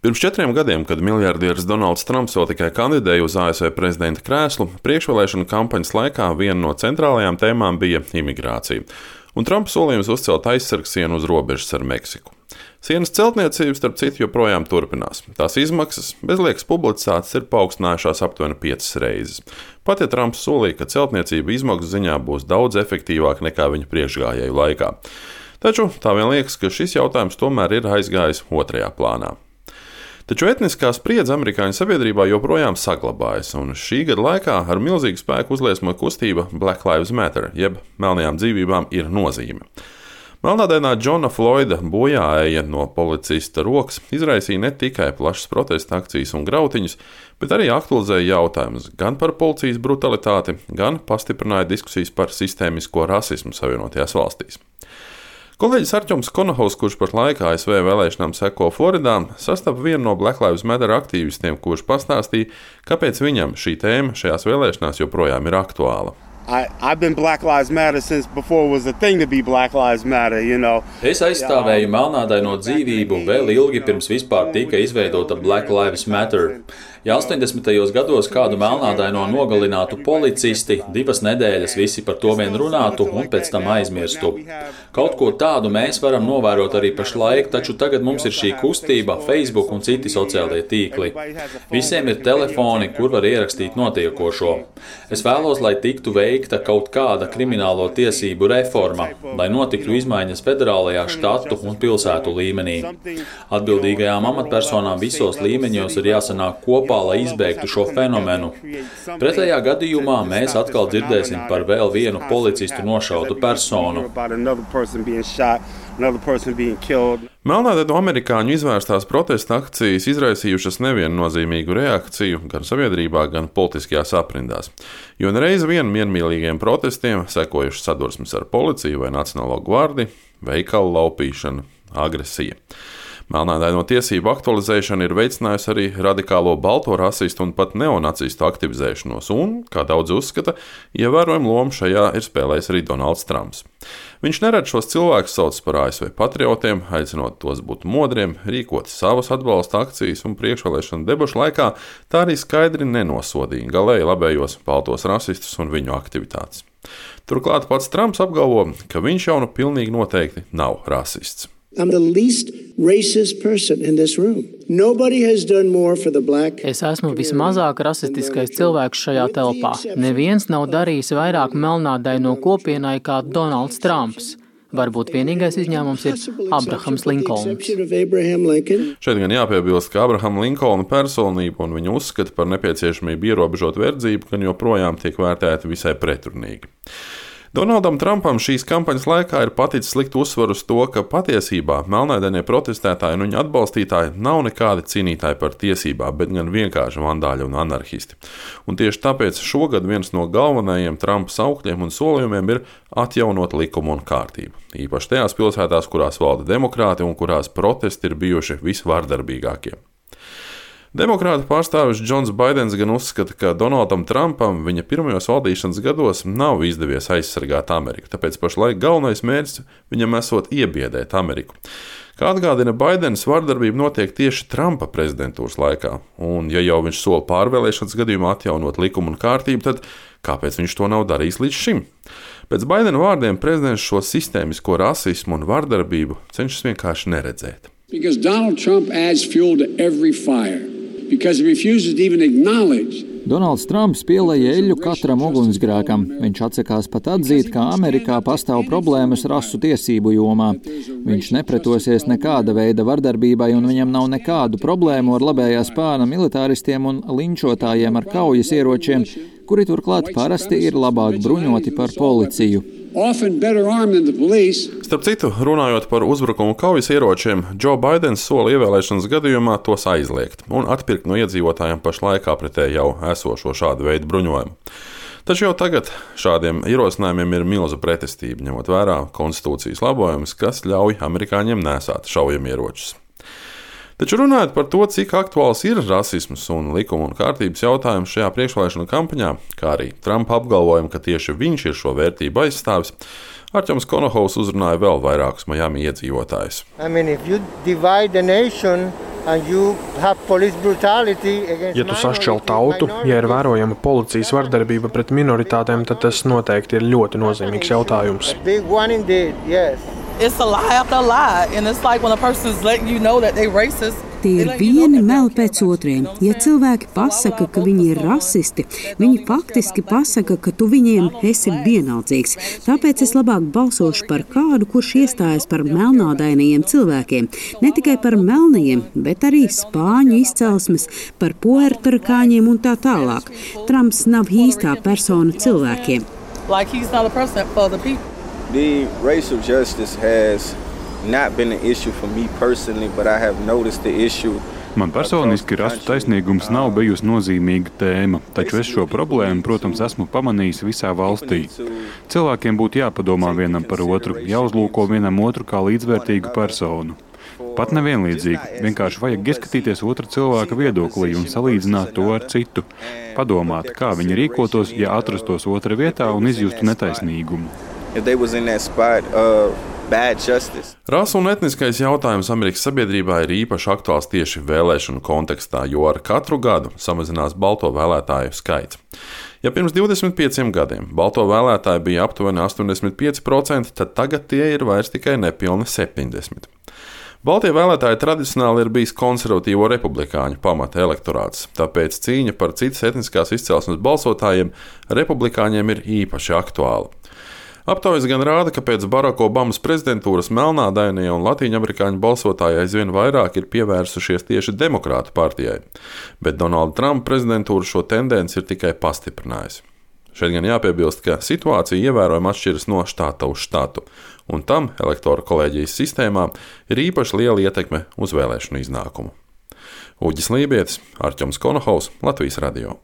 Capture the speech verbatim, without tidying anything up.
Pirms četriem gadiem, kad miljardieris Donalds Trumps vēl tikai kandidēja uz A S V prezidenta krēslu, priekšvēlēšanu kampaņas laikā viena no centrālajām tēmām bija imigrācija, un Trumps solījums uzcelt aizsargsienu uz robežas ar Meksiku. Sienas celtniecība, starp citu, joprojām turpinās. Tās izmaksas, bez liekas publicitātes, ir paaugstinājušās aptuveni piecas reizes. Pat ja Trumps solīja, ka celtniecība izmaksu ziņā būs daudz efektīvāka nekā viņa priekšgājēju laikā. Taču tā vien liekas, ka šis jautājums tomēr ir aizgājis otrajā plānā. Taču etniskā spriedze amerikāņu sabiedrībā joprojām saglabājas, un šī gada laikā ar milzīgu spēku uzliesmoja kustība Black Lives Matter, jeb melnajām dzīvībām ir nozīme. Melnādainā Džona Floyda bojāēja no policista rokas izraisīja ne tikai plašas protesta akcijas un grautiņus, bet arī aktualizēja jautājumus gan par policijas brutalitāti, gan pastiprināja diskusijas par sistēmisko rasismu Savienotajās valstīs. Kolēģis Artjoms Konohovs, kurš par laiku A S V vēlēšanām seko Floridā, sastapa vienu no Black Lives Matter aktīvistiem, kurš pastāstīja, kāpēc viņam šī tēma šajās vēlēšanās joprojām ir aktuāla. I, I've been Black Lives Matter since before it was a thing to be Black Lives Matter, you know. Es aizstāvēju melnādaino dzīvību vēl ilgi pirms vispār tika izveidota Black Lives Matter. Ja astoņdesmitajos gados kādu melnādaino nogalinātu policisti, divas nedēļas visi par to vien runātu un pēc tam aizmirstu. Kaut ko tādu mēs varam novērot arī pašlaik, taču tagad mums ir šī kustība, Facebook un citi sociālie tīkli. Visiem ir telefoni, kur var ierakstīt notiekošo. Es vēlos, lai tiktu veikta kaut kāda kriminālo tiesību reforma, lai notiktu izmaiņas federālajā štatu un pilsētu līmenī. Atbildīgajām amatpersonām visos līmeņos ir jāsanāk kopā, lai izbeigtu šo fenomenu. Pretējā gadījumā mēs atkal dzirdēsim par vēl vienu policistu nošautu personu. Melnādaino amerikāņu izvērstās protesta akcijas izraisījušas neviennozīmīgu reakciju gan sabiedrībā, gan politiskajās aprindās, jo nereiz vien miermīlīgiem protestiem sekojušas sadursmes ar policiju vai Nacionālo gvardi, veikalu laupīšana, agresija. Melnādaino tiesību aktualizēšana ir veicinājusi arī radikālo balto rasistu un pat neonacistu aktivizēšanos, un, kā daudz uzskata, ievērojumu lomu šajā ir spēlējis arī Donalds Trumps. Viņš neredz šos cilvēkus sauc par A S V patriotiem, aicinot tos būt modriem, rīkot savas atbalsta akcijas un priekšvēlēšanu debašu laikā, tā arī skaidri nenosodīja galēji labējos baltos rasistus un viņu aktivitātes. Turklāt pats Trumps apgalvo, ka viņš jau nu pilnīgi noteikti nav rasists. I'm the least racist person in this room. Nobody has done more for the black. Es esmu vismazāk rasistiskais cilvēks šajā telpā. Neviens nav darījis vairāk melnādaino kopienai kā Donalds Trumps. Varbūt vienīgais izņēmums ir Abrahams Linkolns. Šeit gan jāpiebilst, ka Abrahama Linkolna personība un viņa uzskata par nepieciešamību ierobežot verdzību, gan joprojām tiek vērtēta visai pretrunīgi. Donaldam Trumpam šīs kampaņas laikā ir paticis likt uzsvaru uz to, ka patiesībā melnādainie protestētāji un viņa atbalstītāji nav nekādi cīnītāji par tiesībām, bet gan vienkārši vandāļi un anarhisti. Un tieši tāpēc šogad viens no galvenajiem Trumpa saukļiem un solījumiem ir atjaunot likumu un kārtību. Īpaši tajās pilsētās, kurās valda demokrāti un kurās protesti ir bijuši visvārdarbīgākie. Demokrāta pārstāvis Džons Baidens gan uzskata, ka Donaldam Trumpam viņa pirmajos valdīšanas gados nav izdevies aizsargāt Ameriku, tāpēc pašlaik galvenais mērķis viņam esot iebiedēt Ameriku. Kā atgādina Baidens, vardarbība notiek tieši Trumpa prezidentūras laikā, un ja jau viņš sola pārvēlēšanas gadījumā atjaunot likumu un kārtību, tad kāpēc viņš to nav darījis līdz šim? Pēc Baidena vārdiem prezidents šo sistēmisko rasismu un vardarbību cenšas vienkārši neredzēt. Because Donald Trump adds fuel to every fire. Because he refuses to even acknowledge. Donalds Trumps pielēja eļļu katram ugunsgrēkam. Viņš atsakās pat atzīt, ka Amerikā pastāv problēmas rasu tiesību jomā. Viņš nepretosies nekāda veida vardarbībai un viņam nav nekādu problēmu ar labējā spāna militāristiem un linčotājiem ar kaujas ieročiem, kuri turklāt parasti ir labāk bruņoti par policiju. Starp citu, runājot par uzbrukumu kaujas ieročiem, Joe Baidens sola ievēlēšanas gadījumā tos aizliegt un atpirkt no iedzīvotājiem pašlaikā pretēji jau esošo šādu veidu bruņojumu. Taču jau tagad šādiem ierosinājumiem ir milza pretestība, ņemot vērā konstitūcijas labojumus, kas ļauj amerikāņiem nēsāt šaujamieročus. Taču runājot par to, cik aktuāls ir rasisms un likuma un kārtības jautājums šajā priekšvēlēšanu kampaņā, kā arī Trumpa apgalvojumu, ka tieši viņš ir šo vērtību aizstāvis, Artjoms Konohovs uzrunāja vēl vairākus Miami iedzīvotājus. I mean, if you divide the nation, Ja tu sašķel tautu, ja ir vērojama policijas vardarbība pret minoritātēm, tad tas noteikti ir ļoti nozīmīgs jautājums. It's a lie after a lie, and it's like when a person's letting you know that they racist. Tie ir vieni meli pēc otriem. Ja cilvēki pasaka, ka viņi ir rasisti, viņi faktiski pasaka, ka tu viņiem esi vienaldzīgs. Tāpēc es labāk balsošu par kādu, kurš iestājas par melnādainajiem cilvēkiem. Ne tikai par melnajiem, bet arī spāņu izcelsmes, par puertorikāņiem un tā tālāk. Trumps nav īstā persona cilvēkiem. Like he's not a person for the people. The racial justice has not been an issue for me personally, but I have noticed the issue. Man personiski rasu taisnīgums nav bijusi nozīmīga tēma, taču es šo problēmu, protams, esmu pamanījis visā valstī. Cilvēkiem būtu jāpadomā vienam par otru, jāuzlūko vienam otru kā līdzvērtīgu personu. Pat nevienlīdzīgi, vienkārši vajag ieskatīties otra cilvēka viedoklī un salīdzināt to ar citu. Padomāt, kā viņi rīkotos, ja atrastos otra vietā un izjustu netaisnīgumu. If they was in that spot of bad justice. Rasa un etniskais jautājums Amerikas sabiedrībā ir īpaši aktuāls tieši vēlēšanu kontekstā, jo ar katru gadu samazinās balto vēlētāju skaits. Ja pirms divdesmit pieciem gadiem balto vēlētāji bija aptuveni astoņdesmit pieci procenti, tad tagad tie ir vairs tikai nepilni septiņdesmit procenti. Baltie vēlētāji tradicionāli ir bijis konservatīvo republikāņu pamata elektorāts, tāpēc cīņa par citas etniskās izcelsmes balsotājiem republikāņiem ir īpaši aktuāla. Aptaujas gan rāda, ka pēc Baraka Obamas prezidentūras melnādainie un latīņamerikāņu balsotāji aizvien vairāk ir pievērsušies tieši demokrātu partijai, bet Donalda Trumpa prezidentūra šo tendenci ir tikai pastiprinājusi. Šeit gan jāpiebilst, ka situācija ievērojami atšķiras no štata uz štatu, un tam elektoru kolēģijas sistēmā ir īpaši liela ietekme uz vēlēšanu iznākumu. Uģis Lībietis, Arķoms Konohaus, Latvijas radio.